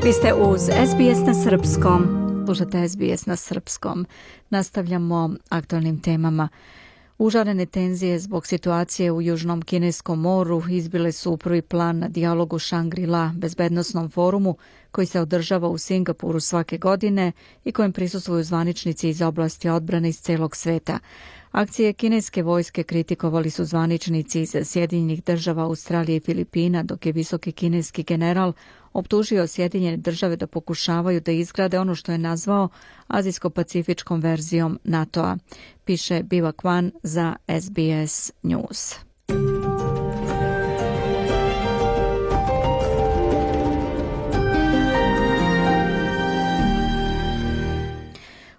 Vi ste uz SBS na srpskom. Slušate SBS na srpskom. Nastavljamo aktualnim temama. Užarene tenzije zbog situacije u Južnom Kineskom moru izbile su u prvi plan na dijalogu Shangri-La bezbednosnom forumu koji se održava u Singapuru svake godine i kojem prisustvuju zvaničnici iz oblasti odbrane iz celog sveta. Akcije kineske vojske kritikovali su zvaničnici iz Sjedinjenih država, Australije i Filipina, dok je visoki kineski general optužio Sjedinjene države da pokušavaju da izgrade ono što je nazvao azijsko-pacifičkom verzijom NATO-a, piše Biva Kwan za SBS News.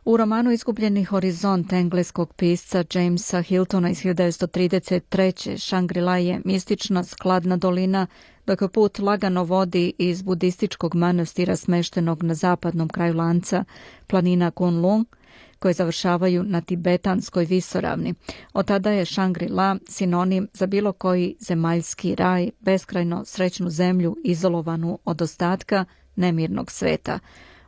U romanu Izgubljeni horizont engleskog pisca Jamesa Hiltona iz 1933. Shangri-La je mistična skladna dolina, dok put lagano vodi iz budističkog manastira smeštenog na zapadnom kraju lanca planina Kunlun, koje završavaju na tibetanskoj visoravni. Od tada je Shangri-La sinonim za bilo koji zemaljski raj, beskrajno srećnu zemlju izolovanu od ostatka nemirnog sveta.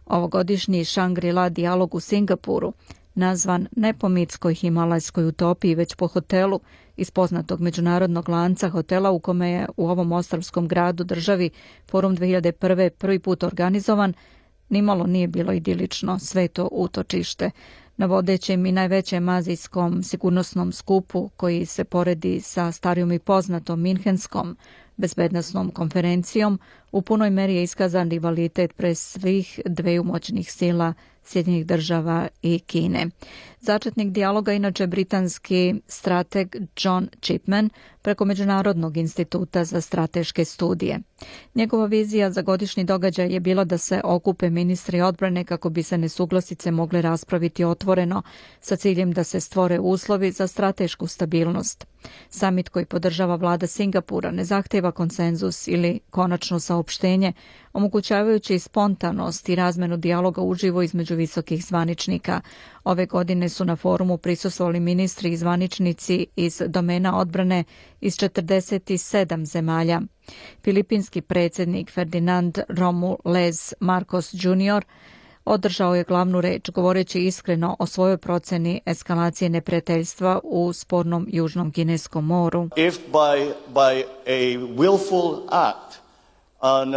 Ovogodišnji Shangri-La dijalog u Singapuru, nazvan ne po mitskoj himalajskoj utopiji, već po hotelu iz poznatog međunarodnog lanca hotela u kome je u ovom ostrvskom gradu državi Forum 2001. prvi put organizovan, nimalo nije bilo idilično sveto utočište. Na vodećem i najvećem azijskom sigurnosnom skupu, koji se poredi sa starijom i poznatom Minhenskom bezbednosnom konferencijom, u punoj meri je iskazan rivalitet pre svih dveju moćnih sila Sjedinjenih država i Kine. Začetnik dijaloga inače britanski strateg John Chipman preko Međunarodnog instituta za strateške studije. Njegova vizija za godišnji događaj je bila da se okupe ministri odbrane kako bi se nesuglasice mogle raspraviti otvoreno sa ciljem da se stvore uslovi za stratešku stabilnost. Samit koji podržava vlada Singapura ne zahteva konsenzus ili konačno saopštenje, omogućavajući spontanost i razmenu dijaloga uživo između visokih zvaničnika. Ove godine su na forumu prisustvovali ministri i zvaničnici iz domena odbrane iz 47 zemalja. Filipinski predsjednik Ferdinand Romulez Marcos Jr. održao je glavnu reč, govoreći iskreno o svojoj proceni eskalacije neprijateljstva u spornom Južnom Kineskom moru. If by a willful act on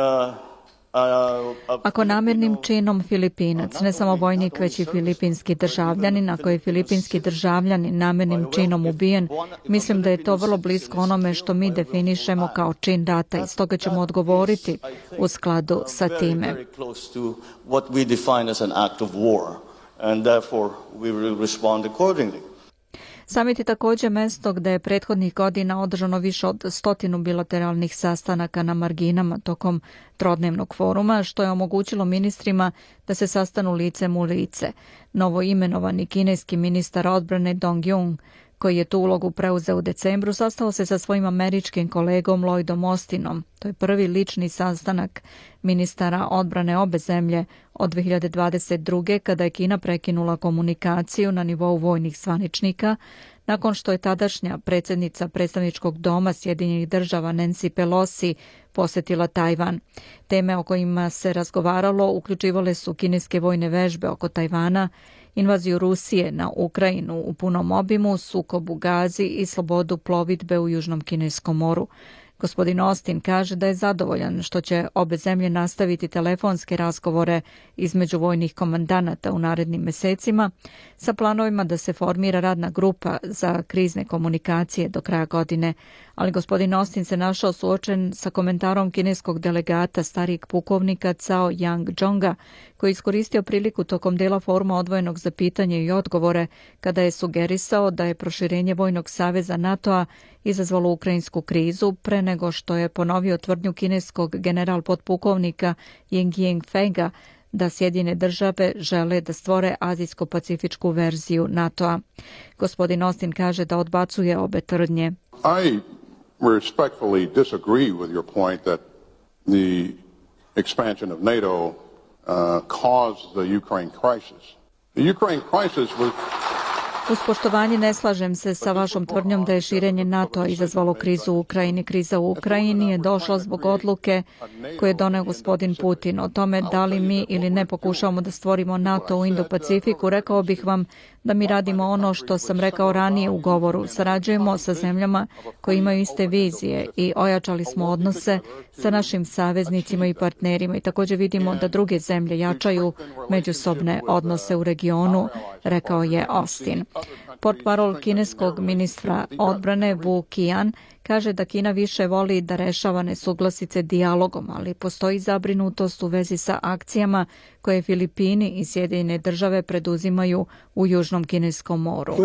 Ako namjernim činom Filipinac, ne samo vojnik, već i filipinski državljanin, ako je filipinski državljanin namjernim činom ubijen, mislim da je to vrlo blisko onome što mi definišemo kao čin rata i stoga ćemo odgovoriti u skladu sa time. Samit je također mjesto gdje je prethodnih godina održano više od 100 bilateralnih sastanaka na marginama tokom trodnevnog foruma, što je omogućilo ministrima da se sastanu licem u lice. Novo imenovani kineski ministar odbrane Dong Jung, koji je tu ulogu preuzeo u decembru, sastao se sa svojim američkim kolegom Lloydom Austinom. To je prvi lični sastanak ministara odbrane obe zemlje od 2022. kada je Kina prekinula komunikaciju na nivou vojnih zvaničnika, nakon što je tadašnja predsjednica predstavničkog doma Sjedinjenih država Nancy Pelosi posjetila Tajvan. Teme o kojima se razgovaralo uključivale su kineske vojne vežbe oko Tajvana, invaziju Rusije na Ukrajinu u punom obimu, sukob u Gazi i slobodu plovidbe u Južnom Kineskom moru. Gospodin Austin kaže da je zadovoljan što će obe zemlje nastaviti telefonske razgovore između vojnih komandanata u narednim mesecima sa planovima da se formira radna grupa za krizne komunikacije do kraja godine, ali gospodin Austin se našao suočen sa komentarom kineskog delegata starijeg pukovnika Cao Yang-jonga, koji je iskoristio priliku tokom dela foruma odvojenog za pitanje i odgovore kada je sugerisao da je proširenje vojnog saveza NATO-a izazvalo ukrajinsku krizu pre nego što je ponovio tvrdnju kineskog general podpukovnika Ying Yingfenga da Sjedinjene države žele da stvore azijsko-pacifičku verziju NATO-a. Gospodin Austin kaže da odbacuje obe tvrdnje. I respectfully disagree with your point that the expansion of NATO caused the Ukraine crisis. The Ukraine crisis was Uz poštovanje ne slažem se sa vašom tvrdnjom da je širenje NATO-a izazvalo krizu u Ukrajini. Kriza u Ukrajini je došla zbog odluke koje je doneo gospodin Putin. O tome da li mi ili ne pokušavamo da stvorimo NATO u Indo-Pacifiku, rekao bih vam da mi radimo ono što sam rekao ranije u govoru. Sarađujemo sa zemljama koje imaju iste vizije i ojačali smo odnose sa našim saveznicima i partnerima i također vidimo da druge zemlje jačaju međusobne odnose u regionu, rekao je Austin. Portparol kineskog ministra odbrane Wu Qian kaže da Kina više voli da rešava nesuglasice dijalogom, ali postoji zabrinutost u vezi sa akcijama koje Filipini i Sjedinjene Države preduzimaju u Južnom Kineskom moru.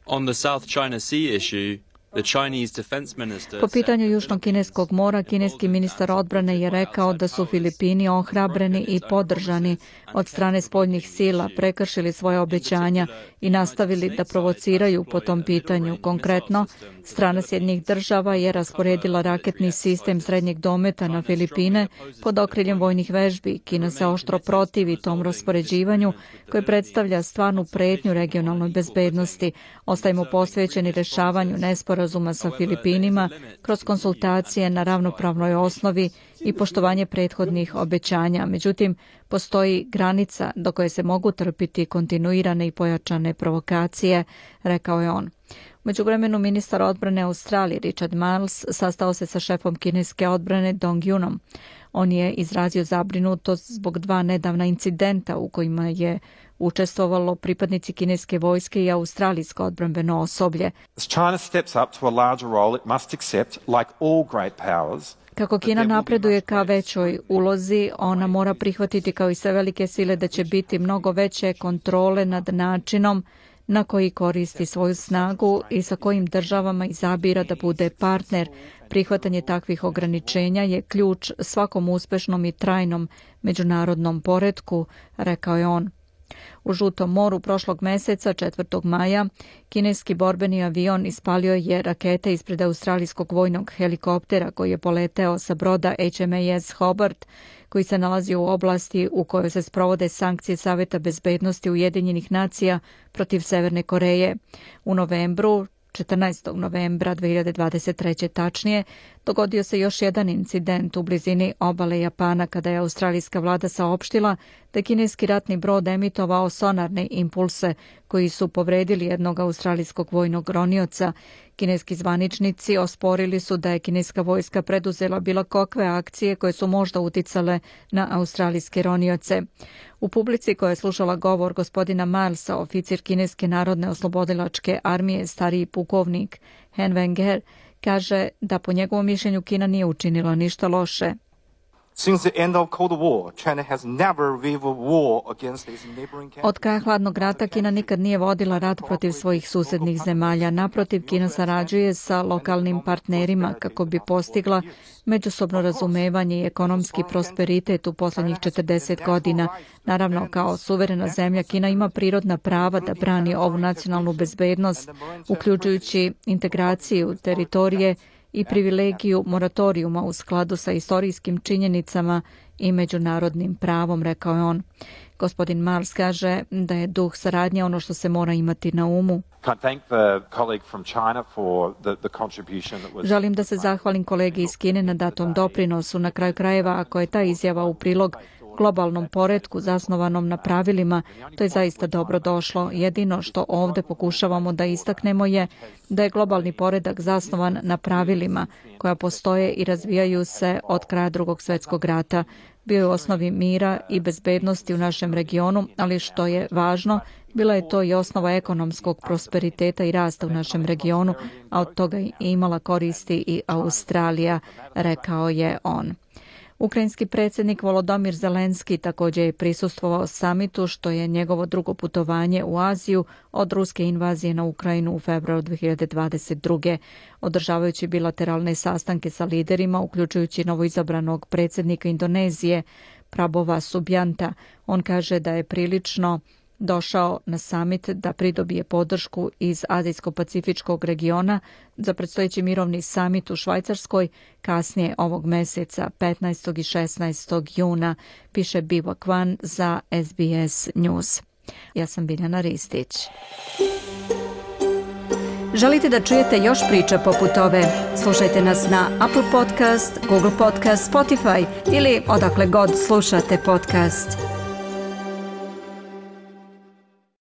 On the South China Sea issue, the Chinese defense minister... Po pitanju Južnog Kineskog mora, kineski ministar odbrane je rekao da su Filipini ohrabreni i podržani od strane spoljnih sila, prekršili svoje obećanja i nastavili da provociraju po tom pitanju. Konkretno, strana Sjedinjenih Država je rasporedila raketni sistem srednjeg dometa na Filipine pod okriljem vojnih vežbi. Kina se oštro protivi tom raspoređivanju koje predstavlja stvarnu pretnju regionalnoj bezbednosti. Ostajemo posvećeni rešavanju nesporazuma sa Filipinima kroz konsultacije na ravnopravnoj osnovi i poštovanje prethodnih obećanja. Međutim, postoji granica do koje se mogu trpiti kontinuirane i pojačane provokacije, rekao je on. U međuvremenu ministar odbrane Australije Richard Marles sastao se sa šefom kineske odbrane Dong Yunom. On je izrazio zabrinutost zbog dva nedavna incidenta u kojima je učestvovalo pripadnici kineske vojske i australijsko odbrambeno osoblje. Kako Kina napreduje ka većoj ulozi, ona mora prihvatiti kao i sve velike sile da će biti mnogo veće kontrole nad načinom na koji koristi svoju snagu i sa kojim državama izabira da bude partner. Prihvatanje takvih ograničenja je ključ svakom uspešnom i trajnom međunarodnom poretku, rekao je on. U Žutom moru prošlog meseca, 4. maja, kineski borbeni avion ispalio je rakete ispred australijskog vojnog helikoptera koji je poleteo sa broda HMAS Hobart, koji se nalazi u oblasti u kojoj se sprovode sankcije Saveta bezbednosti Ujedinjenih nacija protiv Severne Koreje. U novembru, 14. novembra 2023. tačnije, dogodio se još jedan incident u blizini obale Japana kada je australijska vlada saopštila da je kineski ratni brod emitovao sonarne impulse koji su povredili jednog australijskog vojnog ronioca. Kineski zvaničnici osporili su da je kineska vojska preduzela bilo kakve akcije koje su možda uticale na australijske ronioce. U publici koja je slušala govor gospodina Milesa, oficir kineske narodne oslobodilačke armije, stariji pukovnik Hen Wenger, kaže da po njegovom mišljenju Kina nije učinila ništa loše. Od kraja hladnog rata Kina nikad nije vodila rat protiv svojih susednih zemalja. Naprotiv, Kina sarađuje sa lokalnim partnerima kako bi postigla međusobno razumevanje i ekonomski prosperitet u posljednjih 40 godina. Naravno, kao suverena zemlja, Kina ima prirodna prava da brani ovu nacionalnu bezbednost, uključujući integraciju teritorije i privilegiju moratorijuma u skladu sa istorijskim činjenicama i međunarodnim pravom, rekao je on. Gospodin Mars kaže da je duh saradnje ono što se mora imati na umu. Želim da se zahvalim kolegi iz Kine na datom doprinosu. Na kraju krajeva, ako je ta izjava u prilog globalnom poretku zasnovanom na pravilima, to je zaista dobro došlo. Jedino što ovdje pokušavamo da istaknemo je da je globalni poredak zasnovan na pravilima koja postoje i razvijaju se od kraja Drugog svjetskog rata. Bio je u osnovi mira i bezbednosti u našem regionu, ali što je važno, bila je to i osnova ekonomskog prosperiteta i rasta u našem regionu, a od toga je imala koristi i Australija, rekao je on. Ukrajinski predsjednik Volodymyr Zelenski također je prisustvovao samitu, što je njegovo drugo putovanje u Aziju od ruske invazije na Ukrajinu u februaru 2022. Održavajući bilateralne sastanke sa liderima, uključujući novoizabranog predsjednika Indonezije, Prabowa Subianta. On kaže da je prilično došao na summit da pridobije podršku iz Azijsko-Pacifičkog regiona za predstojeći mirovni summit u Švajcarskoj kasnije ovog meseca, 15. i 16. juna, piše Biwa Kwan za SBS News. Ja sam Biljana Ristić. Želite da čujete još priča poput ove? Slušajte nas na Apple Podcast, Google Podcast, Spotify ili odakle god slušate podcast.